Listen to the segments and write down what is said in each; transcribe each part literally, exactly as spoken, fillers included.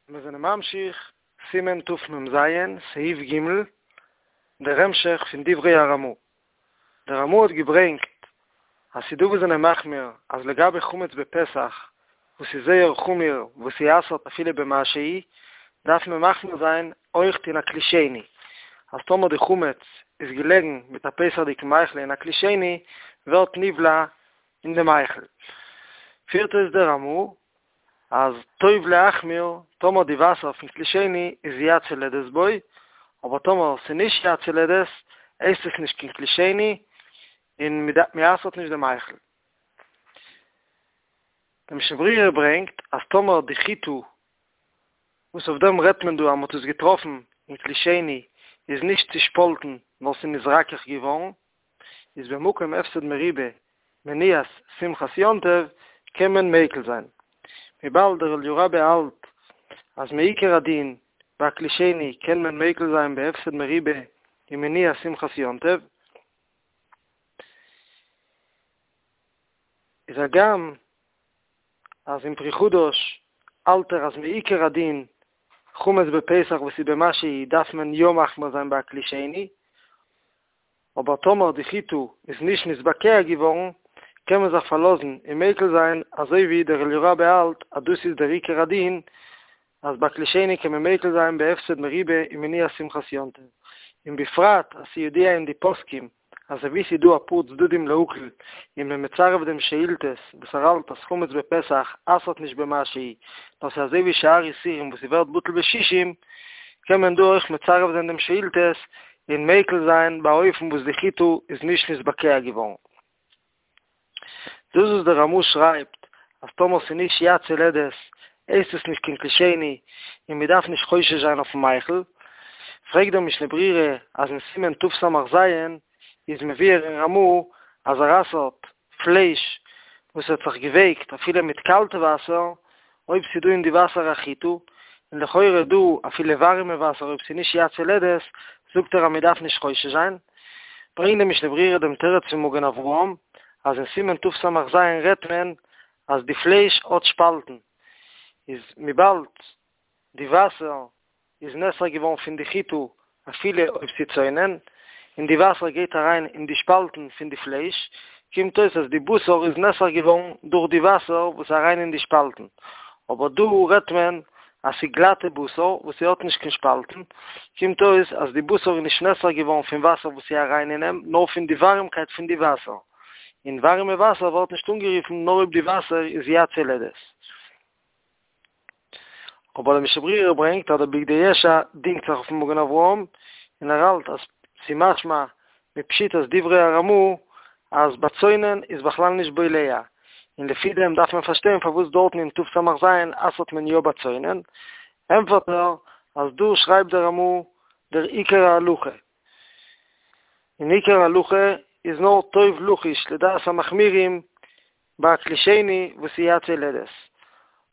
מיר זענען ממשיך, סימן תמ"ז, סעיף ג', דער המשך פון דברי הרמ"א. דער רמ"א האט געברענגט אז ס'דא וואס זענען מחמיר אז לגבי חמץ בפסח וואס איז זייער חמור וואס ס'אסר'ט אפילו במשהו, דארף מען מחמיר זיין אויכט אין א כלי שני, אז טאמער די חמץ איז געלעגן מיט א פסח'דיגן מאכל אין א כלי שני, ווערט נבלע אין די מאכל. פירט אויס דער רמ"א אז טוב להחמיר טאמער די וואסער פון כלי שני איז יד סולדת בו, אבער טאמער ס'איז נישט יד סולדת, הייסט עס נישט קיין כלי שני, און מ'אסר'ט נישט די מאכל. די משנה ברורה ברענגט אז טאמער די חיטה, וואס אויף דעם רעדט מען דא אז מ'האט עס געטראפן אין כלי שני, איז נישט צושפאלטן נאר ס'איז נתרכך געווארן, איז במקום הפסד מרובה מניעת שמחת יום טוב קען מען מיקל זיין. וויבאלד דער אליהו רבה האלט אז מעיקר הדין ביי כלי שני קען מען מיקל זיין בהפסד מרובה און מניעת שמחת יום טוב, איז הגם אז אין פרי חדש האלט ער אז מעיקר הדין חמץ בפסח וואס איז במשהו דארף מען יא מחמיר זיין ביי א כלי שני, אבער טאמער די חיטה איז נישט נתבקע געווארן קען מען זיך פארלאזן און מיקל זיין אזוי ווי דער אליהו רבה האלט אז דאס איז דער עיקר הדין אז ביי כלי שני קען מען מיקל זיין בהפסד מרובה און מניעת שמחת יום טוב, און בפרט אז ס'ידוע אין די פוסקים אז אזוי ווי ס'איז דא אפאר צדדים להקל און מען מצרף דעם שאילתות וואס ער האלט אז חמץ בפסח אסר'ט נישט במשהו נאר ס'איז אזוי ווי שאר איסורים וואס ס'ווערט בטל בשישים קען מען דא אויך מצרף זיין דעם שאילתות און מיקל זיין באופן וואס די חיטה איז נישט נתבקע געווארן. דאס וואס דער רמ"א שרייבט אז טאמער ס'איז נישט יד סולדת הייסט עס נישט קיין כלי שני און מ'דארף נישט חושש זיין אויפן מאכל, פרעגט דער משנה ברורה אז אין סימן תס"ז איז מבואר אין רמ"א אז ער אסר'ט פלייש וואס האט זיך געווייקט אפילו מיט קאלטע וואסער אויב ס'איז דא אין די וואסער א חיטה, און לכאורה דא אפילו ווארימע וואסער אויב ס'איז נישט יד סולדת זאגט ער אז מ'דארף נישט חושש זיין. ברענגט דער משנה ברורה דעם תירוץ פון מגן אברהם אז אין סימן תס"ז רעדט מען אז די פלייש האט שפאלטן, איז וויבאלד די וואסער איז נאסר געווארן פון די חיטה אפילו אויב ס'איז צונן, און די וואסער גייט אריין אין די שפאלטן פון די פלייש, קומט אויס אז די בשר איז נאסר געווארן דורך די וואסער וואס איז אריין אין די שפאלטן, אבער דא רעדט מען אז ס'איז גלאטע בשר וואס ס'האט נישט קיין שפאלטן, קומט אויס אז די בשר איז נישט נאסר געווארן פון וואסער וואס איז אריין אין אים, נאר פון די ווארימקייט פון די וואסער, און ווארימע וואסער ווערט נישט אנגערופן נאר אויב די וואסער איז יד סולדת. אבער דער משנה ברורה ברענגט אז דער בגדי ישע דינגט זיך אויפן מגן אברהם, און ער האלט אז ס'משמע מפשיטות דברי הרמ"א אז בצונן איז בכלל נישט בולע, און לפי דעם דארף מען פארשטיין פארוואס דארטן אין תס"ז אסר'ט מען יא בצונן, ענטפערט ער אז דא שרייבט דער רמ"א דער עיקר ההלכה, און עיקר ההלכה איז נאר טוב לחוש לדעת המחמירים ביי א כלי שני וואס איז יד סולדת,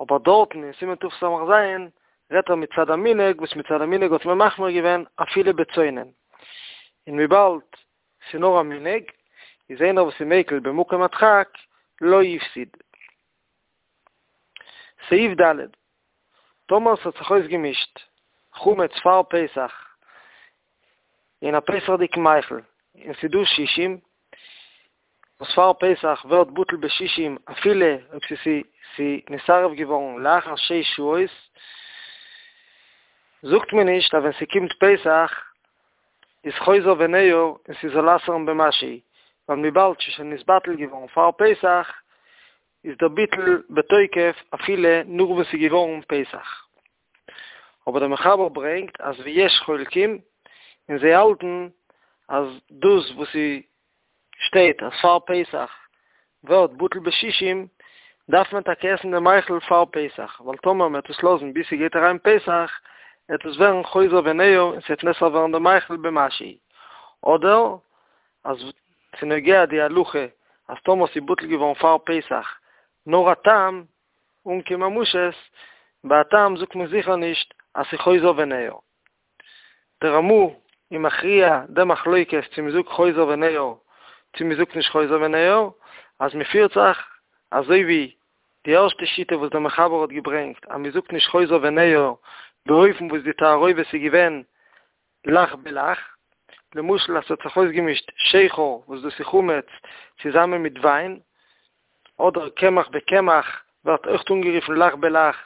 אבער דארטן אין סימן תס"ז רעדט ער מצד המנהג וואס מצד המנהג האט מען מחמיר געווען אפילו בצונן, און וויבאלד ס'איז נאר א מנהג איז איינער וואס איז מיקל במקום הדחק לא הפסיד. סעיף ד', טאמער ס'האט זיך אויסגעמישט חמץ פאר פסח אין א פסח'דיגן מאכל און ס'איז דא שישים, וואס פאר פסח ווערט בטל בשישים אפילו אויב ס'איז נתערב געווארן לאחר שש שעות, זאגט מען נישט אז ווען ס'קומט פסח איז חוזר וניעור און ס'זאל אסר'ן במשהו, ווייל וויבאלד ס'איז שוין נתבטל געווארן פאר פסח איז דער ביטול בתוקף אפילו נאך וואס ס'איז געווארן פסח. אבער דער מחבר ברענגט אז ויש חולקים און זיי האלטן אז דאס וואס ס'שטייט אז פאר פסח ווערט בטל בשישים דארף מען טאקע עסן דעם מאכל פאר פסח, ווייל טאמער מ'וועט עס לאזן ביז ס'גייט אריין פסח וועט עס ווערן חוזר וניעור און ס'וועט נאסר ווערן דער מאכל במשהו, אדער אז ס'נוגע די הלכה אז טאמער ס'איז בטל געווארן פאר פסח נאר א טעם אן קיין ממשות, ביי א טעם זאגט מען זיכער נישט אז ס'איז חוזר וניעור. דער רמ"א איז מכריע די מחלוקת צו מ'זאגט חוזר וניעור צו מ'זאגט נישט חוזר וניעור, אז מ'פירט זיך אזוי ווי די ערשטע שיטה וואס דער מחבר האט געברענגט אז מען זאגט נישט חוזר וניעור באופן וואס די תערובת איז געווען לח בלח, למשל אז ס'האט זיך אויסגעמישט שכר וואס דאס איז חמץ צוזאמען מיט וויין, אדער קמח בקמח ווערט אויכט אנגערופן לח בלח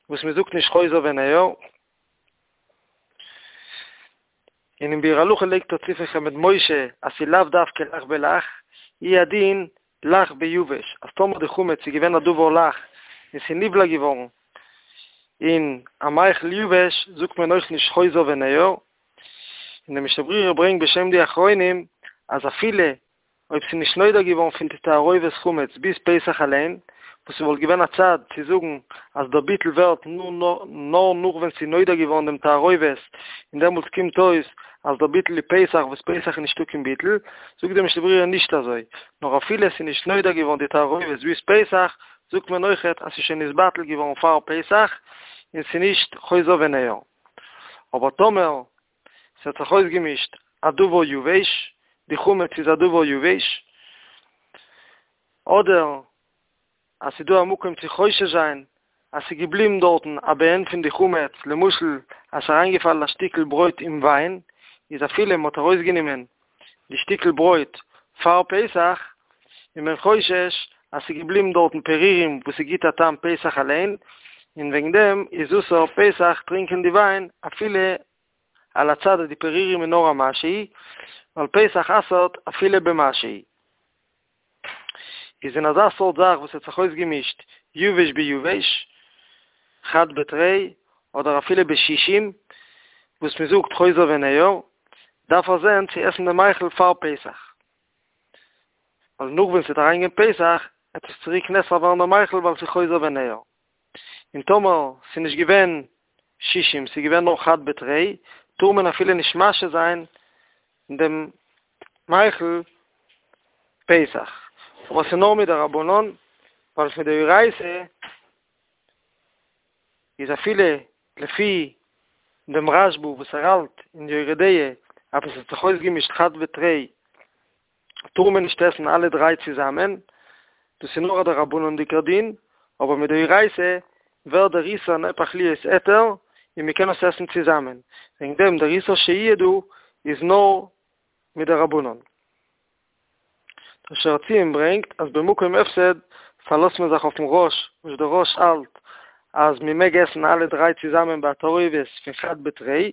וואס מען זאגט נישט חוזר וניעור. און אין ביאור הלכה לייגט ער צו פון חמד משה אז ס'איז לאו דווקא לח בלח, הוא הדין לח ביבש, אז טאמער די חמץ איז געווען א דבר לח און ס'איז נבלע געווארן אין א מאכל יבש זאגט מען אויך נישט חוזר וניעור, און די משנה ברורה ברענגט בשם די אחרונים אז אפילו אויב ס'איז נישט נודע געווארן פון די תערובת חמץ ביז פסח אליין, וואס ס'וואלט געווען א צד צו זאגן אז דער ביטול ווערט נאר נאך ווען ס'איז נודע געווארן דעם תערובת, און דעמאלטס קומט אויס אז דער ביטול איז פסח וואס פסח איז נישטא קיין ביטול, זאגט די משנה ברורה נישט אזוי, נאר אפילו עס איז נישט נודע געווארן די תערובת ביז פסח, זאגט מען אויכעט אז ס'איז שוין נתבטל געווארן פאר פסח, און ס'איז נישט חוזר וניעור. אבער טאמער ס'האט זיך אויסגעמישט א דבר יבש, די חמץ איז א דבר יבש, אדער אז ס'איז דא א מקום צו חושש זיין אז ס'איז געבליבן דארטן א בעין פון די חמץ, למשל אז ס'איז אריינגעפאלן א שטיקל ברויט אין וויין, איז אפילו מ'האט ארויסגענומען די שטיקל ברויט פאר פסח, איז מען חושש אז ס'איז געבליבן דארטן פירורים וואס ס'גיט א טעם פסח אליין, און וועגן דעם איז אסור פסח טרינקען די וויין אפילו על הצד אז די פירורים איז נאר א משהו, ווייל פסח אסר'ט אפילו במשהו. איז אין אזא סארט זאך וואס האט זיך אויסגעמישט יבש ביבש, חד בתרי, אדער אפילו בשישים, וואס מען זאגט חוזר וניעור, דארף ער זען צו עסן די מאכל פאר פסח. ווייל נאך ווען ס'וועט אריינגיין פסח, וועט עס צוריק נאסר ווערן דער מאכל ווייל ס'איז חוזר וניעור. און טאמער ס'איז נישט געווען שישים, ס'איז געווען נאר חד בתרי, טאר מען אפילו נישט משהה זיין דעם מאכל פסח. אבער ס'איז נאר מדרבנן, ווייל מדאורייתא איז אפילו לפי דעם רשב"א וואס ער האלט אין יורה דעה אז עס האט זיך אויסגעמישט חד בתרי טאר מען נישט עסן אלע דריי צוזאמען, דאס איז נאר א דרבנן'דיגער דין, אבער מדאורייתא ווערט דער איסור נהפך להיות היתר און מען קען עס עסן צוזאמען, וועגן דעם דער איסור שהייה דא איז נאר מדרבנן. דער שער הציון ברענגט אז במקום הפסד פארלאזט מען זיך אויפן רא"ש, וואס דער רא"ש האלט אז מען מעג עסן אלע דריי צוזאמען ביי א תערובת פון חד בתרי,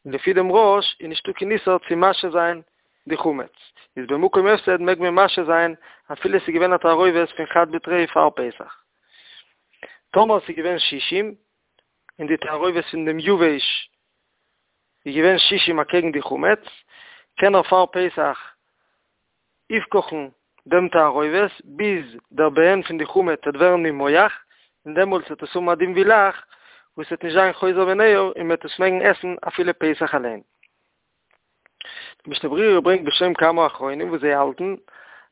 און לפי דעם רא"ש איז נישטא קיין איסור צו משהה זיין די חמץ, איז במקום הפסד מעג מען משהה זיין אפילו עס איז געווען א תערובת פון חד בתרי פאר פסח. טאמער עס איז געווען שישים, און די תערובת פון דעם יבש איז געווען שישים אקעגן די חמץ, קען ער פאר פסח אויפקאכן דעם תערובת ביז דער בעין פון די חמץ וועט ווערן נימוח, און דעמאלטס וועט עס האבן א דין ווי לח, וואס וועט נישט זיין חוזר וניעור און מען וועט עס מעגן עסן אפילו פסח אליין. די משנה ברורה ברענגט בשם כמה אחרונים וואס זיי האלטן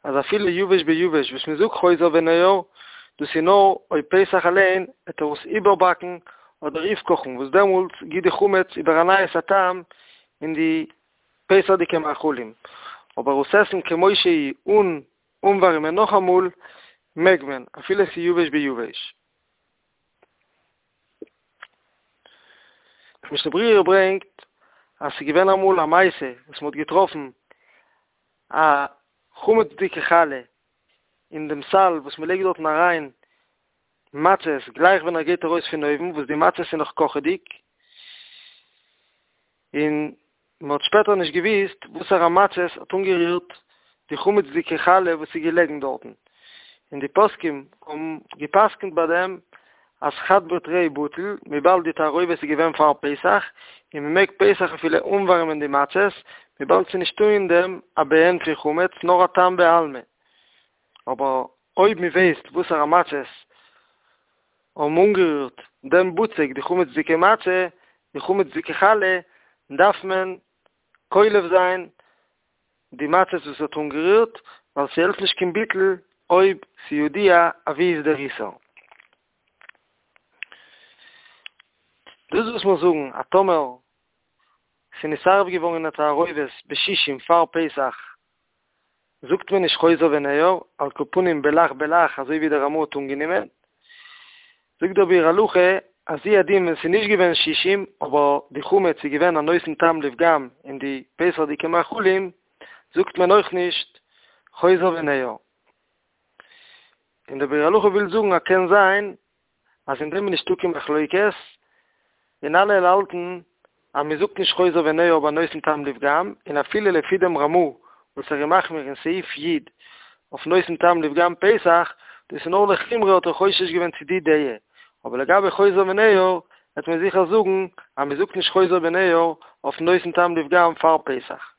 אז אפילו יבש ביבש וואס מען זאגט חוזר וניעור, דאס איז נאר אויב פסח אליין וועט ער עס איבערבאקן אדער אויפקאכן וואס דעמאלטס גיט די חמץ איבער א נייעס א טעם אין די פסח'דיגע מאכלים, אבער עס עסן כמו שהיא אן אנווארימען נאכאמאל מעג מען אפילו עס איז יבש ביבש. די משנה ברורה ברענגט אז ס'איז געווען אמאל א מעשה וואס מ'האט געטראפן א חמצ'דיגע חלה אין דעם סל וואס מ'לייגט דארטן אריין מצות גלייך ווען ער גייט ארויס פון אויוון וואס די מצות איז נאך קאכעדיג, און מען האט שפעטער נישט געוואוסט וואסערע מצות האט אנגערירט די חמצ'דיגע חלה וואס איז געלעגן דארטן, און די פוסקים האבן גע'פסק'נט ביי דעם אז חד בתרי בטל, וויבאלד די תערובת איז געווען פאר פסח, און מען מעג פסח אפילו אנווארימען די מצות, וויבאלד ס'איז נישטא אין דעם א בעין פון חמץ נאר א טעם בעלמא. אבער אויב מען ווייסט וואסערע מצות האבן אנגערירט דעם בצק, די חמצ'דיגע מצה, די חמצ'דיגע חלה, דארף מען קולף זיין די מצות וואס האט אנגערירט, ווייל ס'העלפט נישט קיין ביטול אויב ס'ידוע אוואו איז דער איסור. דאס וואס מיר זאגן אז טאמער ס'נתערב געווארן אין א תערובת בשישים פאר פסח זאגט מען נישט חוזר וניעור, על כל פנים בלח בלח אזוי ווי דער רמ"א האט אנגענומען, זאגט דער ביאור הלכה אז הוא הדין ווען ס'איז נישט געווען שישים אבער די חמץ איז געווען א נותן טעם לפגם אין די פסח'דיגע מאכלים זאגט מען אויך נישט חוזר וניעור. און דער ביאור הלכה וויל זאגן אז קען זיין אז אין דעם איז נישטא קיין מחלוקת, און אלע האלטן אז מען זאגט נישט חוזר וניעור ביי נותן טעם לפגם, און אפילו לפי דעם רמ"א וואס ער איז מחמיר אין סעיף י' אויף נותן טעם לפגם פסח, דאס איז נאר לחומרא האט ער חושש געווען צו די דעה, אבער לגבי חוזר וניעור וועט מען זיכער זאגן אז מען זאגט נישט חוזר וניעור אויף נותן טעם לפגם פאר פסח.